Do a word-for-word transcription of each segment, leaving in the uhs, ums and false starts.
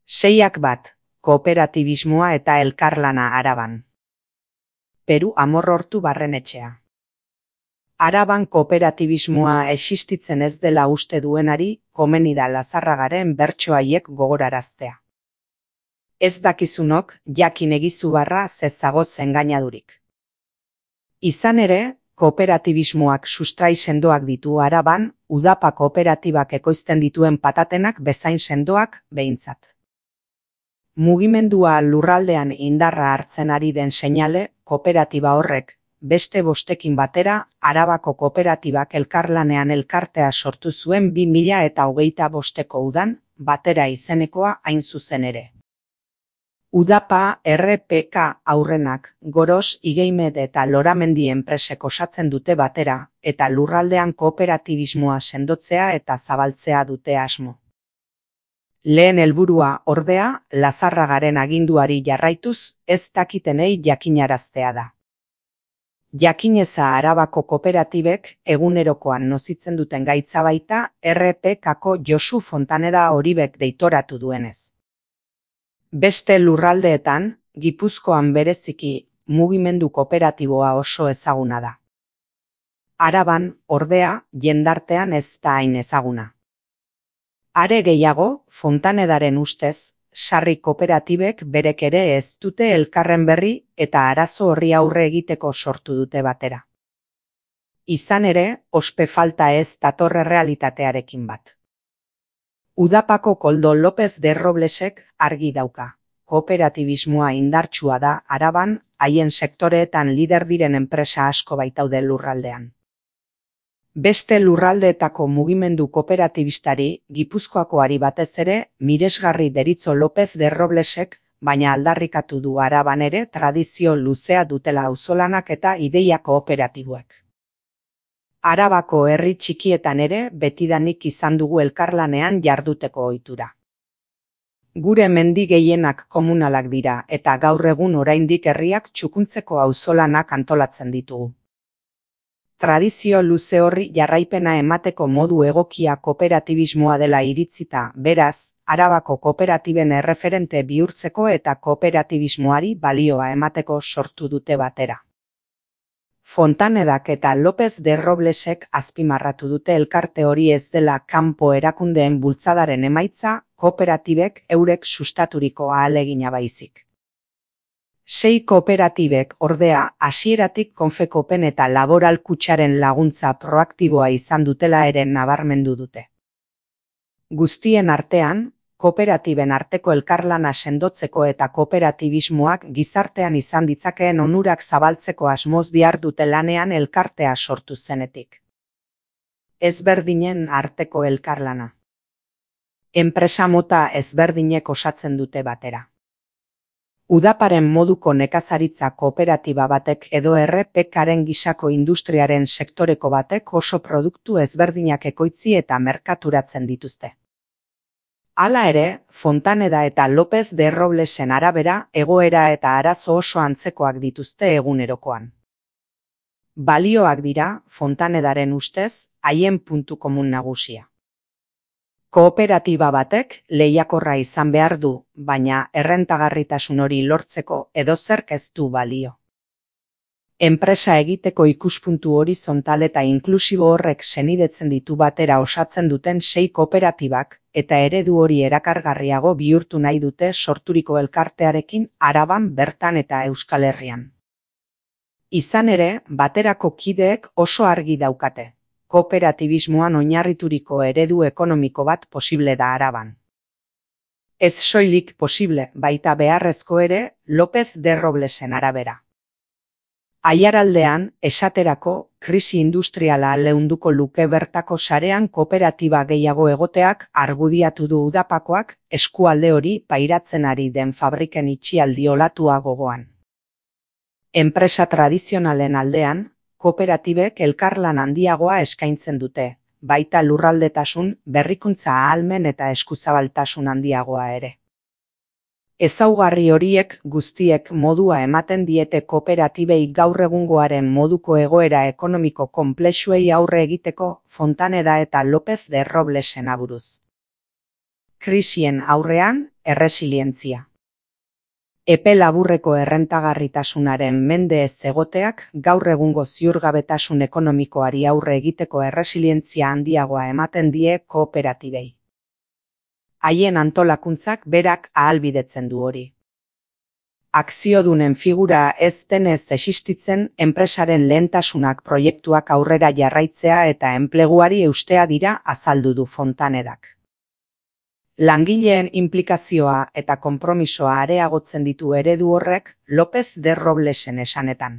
Seiak bat, kooperatibismoa eta elkarlana Araban. Peru Amorrortu Barrenetxea. Araban kooperatibismoa existitzen ez dela uste duenari, komeni da Lazarragaren bertso haiek gogoraraztea. Ez dakizunok, jakin egizu barra zezagoz engainadurik. Izan ere, kooperatibismoak sustrai sendoak ditu Araban, udapa kooperatibak ekoizten dituen patatenak bezain sendoak behintzat. Mugimendua lurraldean indarra hartzen ari den seinale, kooperatiba horrek, beste bostekin batera, Arabako kooperatibak elkarlanean elkartea sortu zuen bi mila eta hogeita bosteko udan, batera izenekoa hain zuzen ere. Udapa, R P K aurrenak, Goros, Igeimed eta Loramendi enpresek osatzen dute batera, eta lurraldean kooperatibismoa sendotzea eta zabaltzea dute asmo. Lehen helburua, ordea, Lazarragaren aginduari jarraituz, ez dakitenei jakinaraztea da. Jakineza Arabako kooperatibek egunerokoan nozitzen duten gaitza baita R P Kako Josu Fontaneda Oribek deitoratu duenez. Beste lurraldeetan, Gipuzkoan bereziki mugimendu kooperatiboa oso ezaguna da. Araban, ordea, jendartean ez da hain ezaguna. Are gehiago, Fontanedaren ustez, sarri kooperatibek berek ere ez dute elkarren berri eta arazo horri aurre egiteko sortu dute batera. Izan ere, ospe falta ez datorre realitatearekin bat. Udapako Koldo López de Roblesek argi dauka. Kooperatibismoa indartsua da Araban, haien sektoreetan lider diren enpresa asko baitaude lurraldean. Beste lurraldeetako mugimendu kooperatibistari, Gipuzkoakoari batez ere, miresgarri deritzo López de Roblesek, baina aldarrikatu du Araban ere tradizio luzea dutela auzolanak eta ideia kooperatiboek. Arabako herri txikietan ere betidanik izan dugu elkarlanean jarduteko ohitura. Gure mendi gehienak komunalak dira eta gaur egun oraindik herriak txukuntzeko auzolanak antolatzen ditugu. Tradizio luze horri jarraipena emateko modu egokia kooperatibismoa dela iritzita, beraz, Arabako kooperatiben erreferente bihurtzeko eta kooperatibismoari balioa emateko sortu dute batera. Fontanedak eta López de Roblesek azpimarratu dute elkarte hori ez dela kanpo erakundeen bultzadaren emaitza, kooperatibek eurek sustaturiko ahalegina baizik. Sei kooperatibek ordea hasieratik Konfekopen eta Laboral Kutxaren laguntza proaktiboa izan dutela ere nabarmendu dute. Guztien artean, kooperatiben arteko elkarlana sendotzeko eta kooperatibismoak gizartean izan ditzakeen onurak zabaltzeko asmoz dihardute lanean elkartea sortu zenetik. Ezberdinen arteko elkarlana. Enpresa mota ezberdinek osatzen dute batera. Udaparen moduko nekazaritza kooperatiba batek edo R P Karen gisako industriaren sektoreko batek oso produktu ezberdinak ekoitzi eta merkaturatzen dituzte. Hala ere, Fontaneda eta López de Roblesen arabera egoera eta arazo oso antzekoak dituzte egunerokoan. Balioak dira, Fontanedaren ustez, haien puntu komun nagusia. Kooperatiba batek lehiakorra izan behar du, baina errentagarritasun hori lortzeko edozerk ez du balio. Enpresa egiteko ikuspuntu horizontal eta inklusibo horrek senidetzen ditu batera osatzen duten sei kooperatibak, eta eredu hori erakargarriago bihurtu nahi dute sorturiko elkartearekin Araban bertan eta Euskal Herrian. Izan ere, baterako kideek oso argi daukate. Kooperatibismoan oinarrituriko eredu ekonomiko bat posible da Araban. Ez soilik posible, baita beharrezko ere, López de Roblesen arabera. Aiaraldean, esaterako, krisi industriala leunduko luke bertako sarean kooperatiba gehiago egoteak argudiatu du Udapakoak eskualde hori pairatzen ari den fabriken itxialdi olatua gogoan. Enpresa tradizionalen aldean, kooperatibek elkarlan handiagoa eskaintzen dute, baita lurraldetasun, berrikuntza ahalmen eta eskuzabaltasun handiagoa ere. Ezaugarri horiek guztiek modua ematen diete kooperatibei gaur egungoaren moduko egoera ekonomiko konplexuei aurre egiteko Fontaneda eta López de Roblesen aburuz. Krisien aurrean, erresilientzia. Epe laburreko errentagarritasunaren mende ez egoteak gaur egungo ziurgabetasun ekonomikoari aurre egiteko erresilientzia handiagoa ematen die kooperatibei. Haien antolakuntzak berak ahalbidetzen du hori. Akziodunen figura ez denez existitzen, enpresaren lehentasunak proiektuak aurrera jarraitzea eta enpleguari eustea dira azaldu du Fontanedak. Langileen inplikazioa eta konpromisoa areagotzen ditu eredu horrek López de Roblesen esanetan.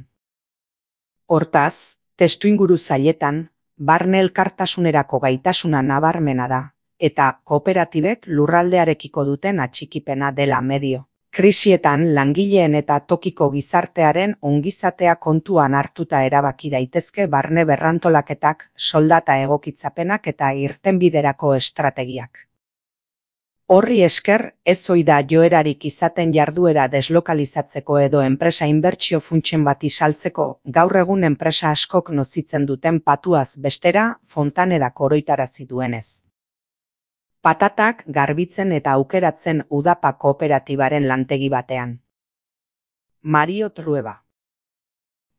Hortaz, testuinguru zailetan, barne elkartasunerako gaitasuna nabarmena da, eta kooperatibek lurraldearekiko duten atxikipena dela medio. Krisietan langileen eta tokiko gizartearen ongizatea kontuan hartuta erabaki daitezke barne berrantolaketak, soldata egokitzapenak eta irtenbiderako estrategiak. Horri esker, ez ohi da joerarik izaten jarduera deslokalizatzeko edo enpresa inbertsio funtsen bati saltzeko, gaur egun enpresa askok nozitzen duten patuaz bestera, Fontanedak oroitarazi duenez. Patatak garbitzen eta aukeratzen Udapa kooperatibaren lantegi batean. Mario Trueba.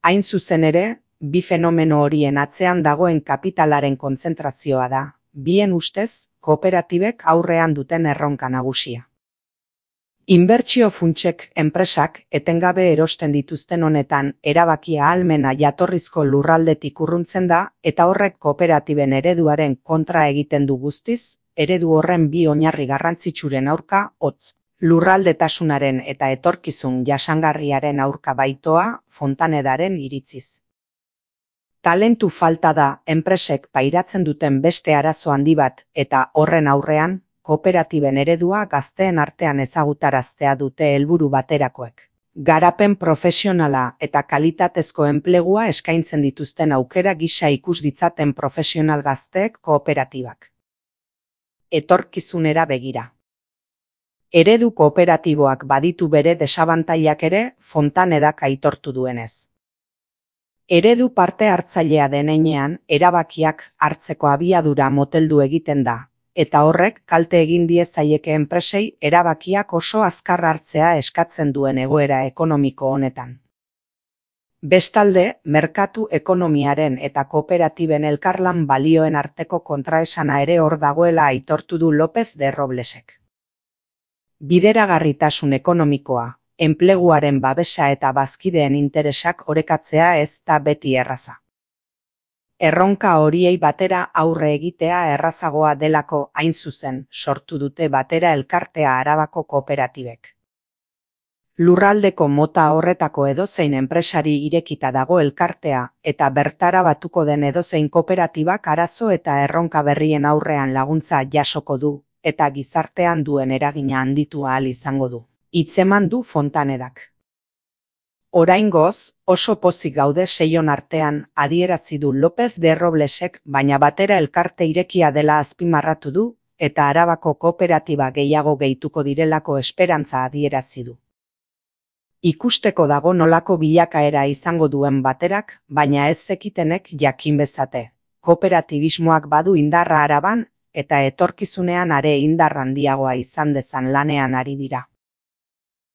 Hain zuzen ere, bi fenomeno horien atzean dagoen kapitalaren kontzentrazioa da, bien ustez, kooperatibek aurrean duten erronka nagusia. Inbertsio funtsek enpresak etengabe erosten dituzten honetan erabakia ahalmena jatorrizko lurraldetik urruntzen da eta horrek kooperatiben ereduaren kontra egiten du guztiz, eredu horren bi oinarri garrantzitsuren aurka hotz. Lurraldetasunaren eta etorkizun jasangarriaren aurka baitoa Fontanedaren iritziz. Talentu falta da enpresek pairatzen duten beste arazo handi bat eta horren aurrean, kooperatiben eredua gazteen artean ezagutaraztea dute helburu baterakoek. Garapen profesionala eta kalitatezko enplegua eskaintzen dituzten aukera gisa ikus ditzaten profesional gazteek kooperatibak. Etorkizunera begira. Eredu kooperatiboak baditu bere desabantailak ere Fontanedak aitortu duenez. Eredu parte hartzailea denean, erabakiak hartzeko abiadura moteldu egiten da, eta horrek kalte egin die zaieke enpresei erabakiak oso azkar hartzea eskatzen duen egoera ekonomiko honetan. Bestalde, merkatu ekonomiaren eta kooperatiben elkarlan balioen arteko kontraesana ere hor dagoela aitortu du López de Roblesek. Bideragarritasun ekonomikoa, enpleguaren babesa eta bazkideen interesak orekatzea ez da beti erraza. Erronka horiei batera aurre egitea errazagoa delako hain zuzen sortu dute batera elkartea Arabako kooperatibek. Lurraldeko mota horretako edozein enpresari irekita dago elkartea eta bertara batuko den edozein kooperatibak arazo eta erronka berrien aurrean laguntza jasoko du eta gizartean duen eragina handitu ahal izango du. Hitzeman du Fontanedak. Oraingoz, oso pozik gaude seion artean adierazi du López de Roblesek, baina batera elkarte irekia dela azpimarratu du eta Arabako kooperatiba gehiago gehituko direlako esperantza adierazi du. Ikusteko dago nolako bilakaera izango duen baterak, baina ez zekitenek jakin bezate. Kooperatibismoak badu indarra Araban eta etorkizunean are indar handiagoa izan dezan lanean ari dira.